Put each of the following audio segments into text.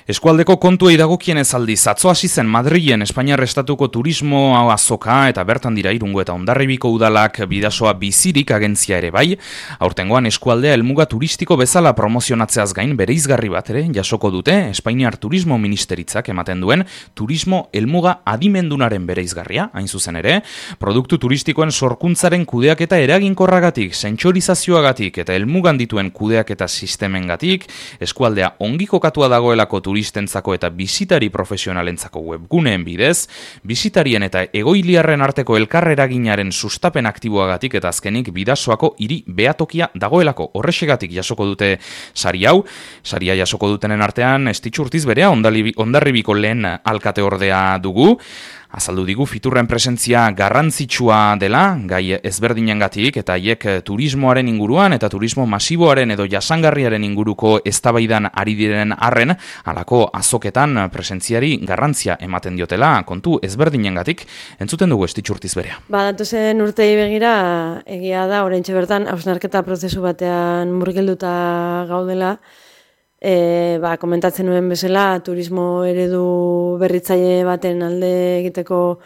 Eskualdeko kontuei dagokienez aldiz, atzo hasi zen Madrilen Espainiar Estatuko turismo azoka eta bertan dira Irungo eta Hondarribiko udalak Bidasoa bizirik agentzia ere bai. Aurtengoan eskualdea helmuga turistiko bezala promozionatzeaz gain bereizgarri bat ere jasoko dute Espainiar Turismo Ministeritzak ematen duen turismo helmuga adimendunaren bereizgarria, hain zuzen ere, produktu turistikoen sorkuntzaren kudeaketa eraginkorragatik, sentsorizazioagatik eta helmugan dituen kudeaketa sistemengatik, eskualdea ongi kokatua dagoelako turistentzako eta bisitari profesionalentzako webguneen bidez, bisitarien eta egoiliarren arteko elkarreraginaren sustapen aktiboagatik eta azkenik Bidasoako hiri behatokia dagoelako horrexegatik jasoko dute sari hau. Saria jasoko dutenen artean Estitxurtiz berea Hondarribiko lehen alkate ordea dugu. Azaldu digu fiturren presentzia garrantzitsua dela, gai ezberdinengatik eta haiek turismoaren inguruan eta turismo masiboaren edo jasangarriaren inguruko eztabaidan ari diren arren, halako azoketan presentziari garrantzia ematen diotela kontu ezberdinengatik, entzuten dugu Estitxurtiz berea. Datozen urtei begira, egia da, oraintxe bertan, hausnarketa prozesu batean murgilduta gaudela, komentatzen nuen bezala, turismo eredu berritzaile baten alde egiteko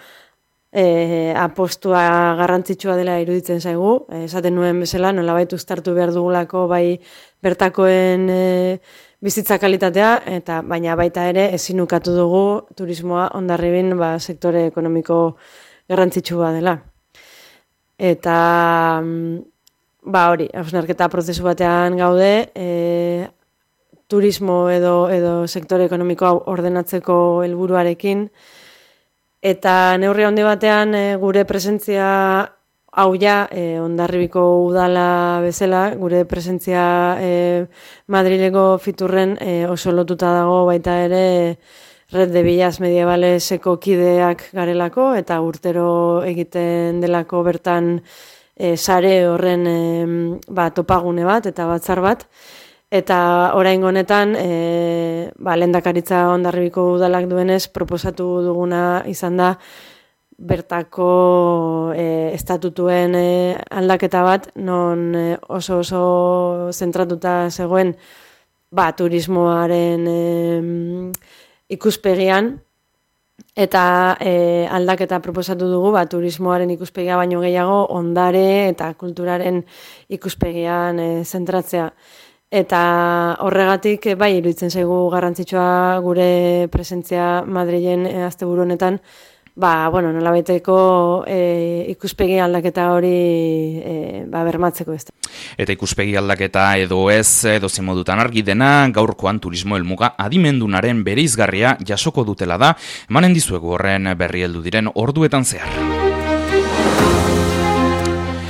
apostua garrantzitsua dela iruditzen zaigu. Esaten nuen bezala, nolabait uztartu behar dugulako bai bertakoen bizitza kalitatea, baina baita ere ezin ukatu dugu turismoa Hondarribin sektore ekonomiko garrantzitsua dela. Eta hori, hausnarketa prozesu batean gaude, turismo edo sektore ekonomikoa ordenatzeko helburuarekin, eta neurri handi batean gure presentzia hau Hondarribiko udala bezala, gure presentzia Madrileko fiturren oso lotuta dago baita ere Red de Villas Medievaleseko kideak garelako, eta urtero egiten delako bertan sare horren topagune bat eta batzar bat. Eta oraingo honetan, lehendakaritza Hondarribiko udalak duenez, proposatu duguna izan da bertako estatutuen aldaketa bat, non oso zentratuta zegoen turismoaren ikuspegian, eta aldaketa proposatu dugu turismoaren ikuspegia baino gehiago ondare eta kulturaren ikuspegian zentratzea. Eta horregatik iruditzen zaigu garrantzitsua gure presentzia Madrilen asteburu honetan, nolabaiteko ikuspegi aldaketa hori bermatzeko ez. Eta ikuspegi aldaketa edo ez, edo zemodutan argi dena, gaurkoan turismo helmuga adimendunaren bereizgarria jasoko dutela da, emanen dizuegu horren berri heldu diren orduetan zehar.